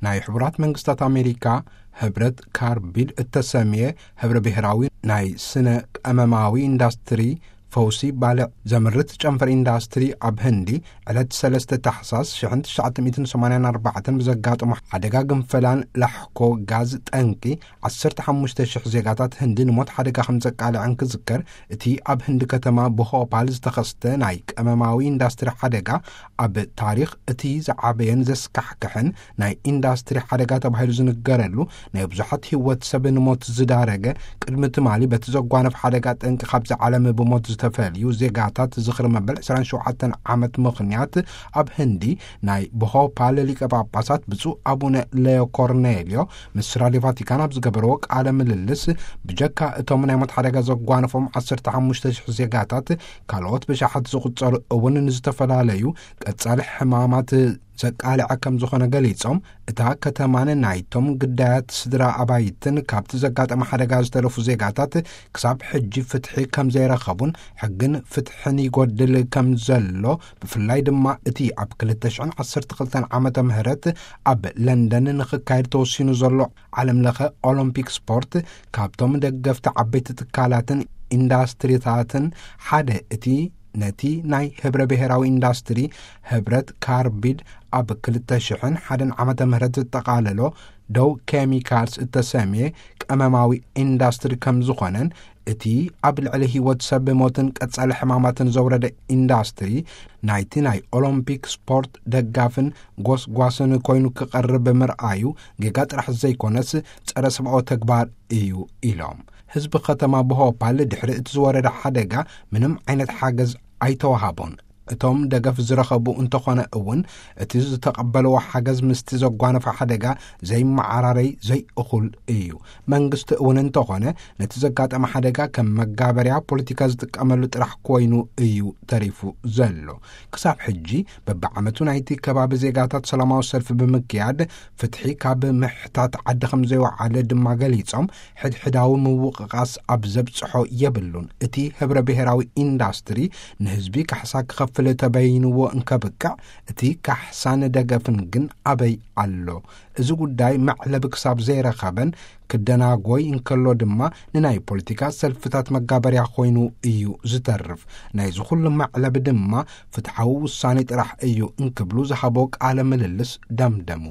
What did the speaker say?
ናይ ሕቡራት መንግስታት ኣሜሪካ ህብረት ካርቢድ እተሰምየ ህብረ ብሔራዊ ናይ ስነ ቀመማዊ ኢንዳስትሪ ፈውሲ ባልዕ ዘምርት ጨንፈር ኢንዳስትሪ ኣብ ህንዲ ዕለት ሰለስተ ታሕሳስ ሽሕን ትሽዓተ ሚእትን ሰማንያን ኣርባዕተን ብዘጋጠሞ ሓደጋ ግንፈላን ላሕኮ ጋዝ ጠንቂ ዓሰርተ ሓሙሽተ ሽሕ ዜጋታት ህንዲ ንሞት ሓደጋ ከም ዘቃልዐን ክዝከር፣ እቲ ኣብ ህንዲ ከተማ ብሆፓል ዝተኸስተ ናይ ቀመማዊ ኢንዳስትሪ ሓደጋ ኣብ ታሪኽ እቲ ዝዓበየን ዘስካሕክሕን ናይ ኢንዳስትሪ ሓደጋ ተባሂሉ ዝንገረሉ፣ ናይ ብዙሓት ህይወት ሰብ ንሞት ዝዳረገ፣ ቅድሚ ትማሊ በቲ ዘጓነፍ ሓደጋ ጠንቂ ካብዚ ዓለም ብሞት ዝተፈልዩ ዜጋታት ዝኽሪ መበል ዕስራን ሸውዓተን ዓመት ምኽንያት፣ ኣብ ህንዲ ናይ ብሆፓል ሊቀ ጳጳሳት ብፁዕ ኣቡነ ሌዮ ኮርኔልዮ ምስ ራድዮ ቫቲካን ኣብ ዝገበርዎ ቃለ ምልልስ፣ ብጀካ እቶም ናይ ሞት ሓደጋ ዘጓነፎም ዓሰርተ ሓሙሽተ ሽሕ ዜጋታት፣ ካልኦት ብሽሓት ዝቑጸሩ እውን ንዝተፈላለዩ ቀጻሊ ሕማማት ዘቃልዐ ከም ዝኾነ ገሊጾም፣ እታ ከተማን ናይቶም ግዳያት ስድራ ኣባይትን ካብቲ ዘጋጠመ ሓደጋ ዝተረፉ ዜጋታት ክሳብ ሕጂ ፍትሒ ከም ዘይረኸቡን ሕግን ፍትሕን ይጎድል ከም ዘሎ፣ ብፍላይ ድማ እቲ ኣብ ክልተ ሽሕን ዓሰርተ ክልተን ዓመተ ምህረት ኣብ ለንደን ንኽካየድ ተወሲኑ ዘሎ ዓለም ለኸ ኦሎምፒክ ስፖርት፣ ካብቶም ደገፍቲ ዓበይቲ ትካላትን ኢንዳስትሪታትን ሓደ እቲ ነቲ ናይ ህብረ ብሔራዊ ኢንዳስትሪ ህብረት ካርቢድ ኣብ ክልተ ሽሕን ሓደን ዓመተ ምህረት ዘጠቓለሎ ደው ኬሚካልስ እተሰምየ ቀመማዊ ኢንዳስትሪ ከም ዝኾነን፣ እቲ ኣብ ልዕሊ ህይወት ሰብ ሞትን ቀጻሊ ሕማማትን ዘውረደ ኢንዳስትሪ ናይቲ ናይ ኦሎምፒክ ስፖርት ደጋፍን ጎስጓስን ኮይኑ ክቐርብ ምርኣዩ ጌጋ ጥራሕ ዘይኮነስ ጸረ ሰብኣዊ ተግባር እዩ ኢሎም። ህዝቢ ከተማ ብሆፓል ድሕሪ እቲ ዝወረደ ሓደጋ ምንም ዓይነት ሓገዝ ኣይተዋሃቦን። እቶም ደገፍ ዝረኸቡ እንተኾነ እውን፣ እቲ ዝተቐበልዎ ሓገዝ ምስቲ ዘጓነፈ ሓደጋ ዘይመዓራረይ ዘይእኹል እዩ። መንግስቲ እውን እንተኾነ ነቲ ዘጋጠመ ሓደጋ ከም መጋበርያ ፖለቲካ ዝጥቀመሉ ጥራሕ ኮይኑ እዩ ተሪፉ ዘሎ። ክሳብ ሕጂ በብዓመቱ ናይቲ ከባቢ ዜጋታት ሰላማዊ ሰልፊ ብምክያድ ፍትሒ ካብ ምሕታት ዓዲ ከም ዘይወዓለ ድማ ገሊጾም፣ ሕድሕዳዊ ምውቕቓስ ኣብ ዘብጽሖ የብሉን። እቲ ህብረ ብሔራዊ ኢንዳስትሪ ንህዝቢ ካሕሳ ክኸፍል ተበይንዎ እንከብቅዕ፣ እቲ ካሕሳን ደገፍን ግን ኣበይ ኣሎ? እዚ ጉዳይ መዕለቢ ክሳብ ዘይረኸበን ክደናጎይ እንከሎ ድማ ንናይ ፖለቲካ ሰልፍታት መጋበርያ ኮይኑ እዩ ዝተርፍ። ናይዚ ኩሉ መዕለቢ ድማ ፍትሓዊ ውሳኔ ጥራሕ እዩ እንክብሉ ዝሃቦ ቃለ ምልልስ ደምደሙ።